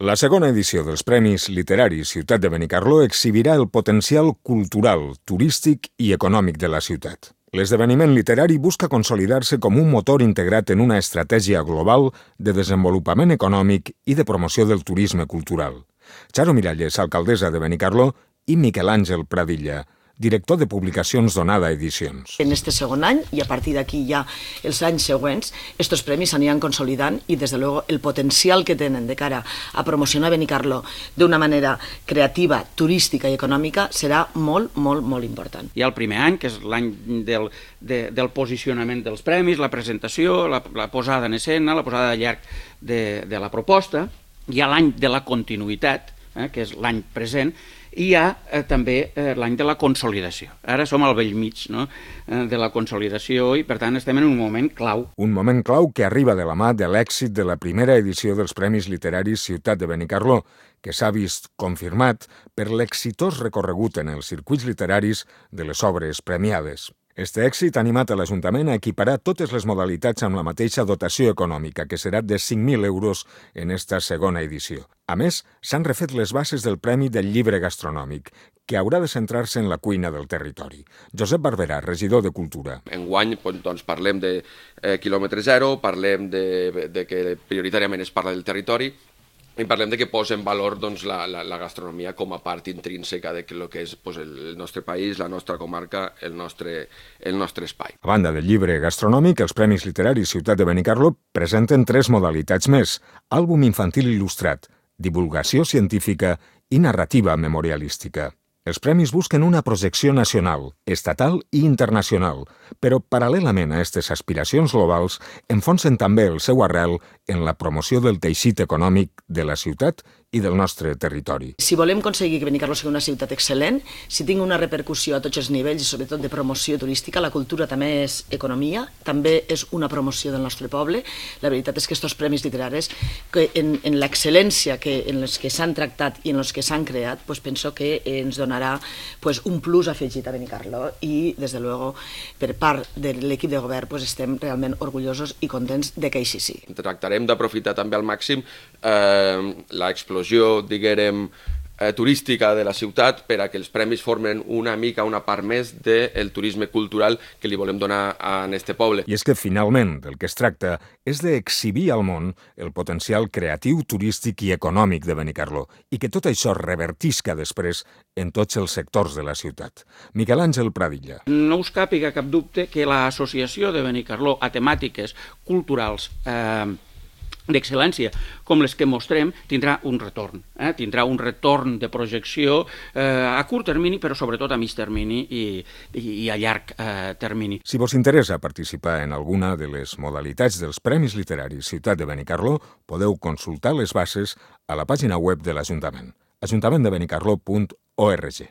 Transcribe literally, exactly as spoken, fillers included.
La segona edició dels Premis Literaris Ciutat de Benicarló exhibirà el potencial cultural, turístic i econòmic de la ciutat. L'esdeveniment literari busca consolidar-se com un motor integrat en una estratègia global de desenvolupament econòmic i de promoció del turisme cultural. Charo Miralles, alcaldessa de Benicarló, i Miquel Àngel Pradilla, director de publicacions d'Onada Edicions. En este segon any, i a partir d'aquí ja els anys següents, estos premis s'aniran consolidant i, des de luego, el potencial que tenen de cara a promocionar Benicarló d'una manera creativa, turística i econòmica serà molt, molt, molt important. Hi ha el primer any, que és l'any del, de, del posicionament dels premis, la presentació, la, la posada en escena, la posada de llarg de, de la proposta. Hi ha l'any de la continuïtat, eh, que és l'any present, i hi ha eh, també eh, l'any de la consolidació. Ara som al vell mig, no? eh, de la consolidació i, per tant, estem en un moment clau. Un moment clau que arriba de la mà de l'èxit de la primera edició dels Premis Literaris Ciutat de Benicarló, que s'ha vist confirmat per l'exitós recorregut en els circuits literaris de les obres premiades. Este èxit ha animat a l'Ajuntament a equiparar totes les modalitats amb la mateixa dotació econòmica, que serà de cinc mil euros en esta segona edició. A més, s'han refet les bases del Premi del Llibre Gastronòmic, que haurà de centrar-se en la cuina del territori. Josep Barberà, regidor de Cultura. Enguany doncs, parlem de eh, quilòmetre zero, parlem de, de que prioritàriament es parla del territori, i parlem de que posa en valor doncs, la, la, la gastronomia com a part intrínseca de lo que és pues, el nostre país, la nostra comarca, el nostre, el nostre espai. A banda del llibre gastronòmic, els Premis Literaris Ciutat de Benicarló presenten tres modalitats més: àlbum infantil il·lustrat, divulgació científica i narrativa memorialística. Els premis busquen una projecció nacional, estatal i internacional, però paral·lelament a aquestes aspiracions globals enfonsen també el seu arrel en la promoció del teixit econòmic de la ciutat i del nostre territori. Si volem aconseguir que Benicarló sigui una ciutat excel·lent, si tingui una repercussió a tots els nivells i sobretot de promoció turística, la cultura també és economia, també és una promoció del nostre poble. La veritat és que aquests premis literaris, que en, en l'excel·lència que, en els que s'han tractat i en els que s'han creat, pues penso que ens donarà pues, un plus afegit a Benicarló i, des de luego, per part de l'equip de govern, pues, estem realment orgullosos i contents de que així sigui. Tractarem d'aprofitar també al màxim eh, l'explosió diguem, eh, turística de la ciutat per a que els premis formen una mica una part més del turisme cultural que li volem donar a este poble. I és que finalment del que es tracta és d'exhibir al món el potencial creatiu, turístic i econòmic de Benicarló i que tot això revertisca després en tots els sectors de la ciutat. Miquel Àngel Pradilla. No us càpiga cap dubte que l'associació de Benicarló a temàtiques culturals eh, d'excel·lència, com les que mostrem, tindrà un retorn. Eh? Tindrà un retorn de projecció eh, a curt termini, però sobretot a mig termini i, i, i a llarg eh, termini. Si vos interessa participar en alguna de les modalitats dels Premis Literaris Ciutat de Benicarló, podeu consultar les bases a la pàgina web de l'Ajuntament, ajuntament de benicarló punt org.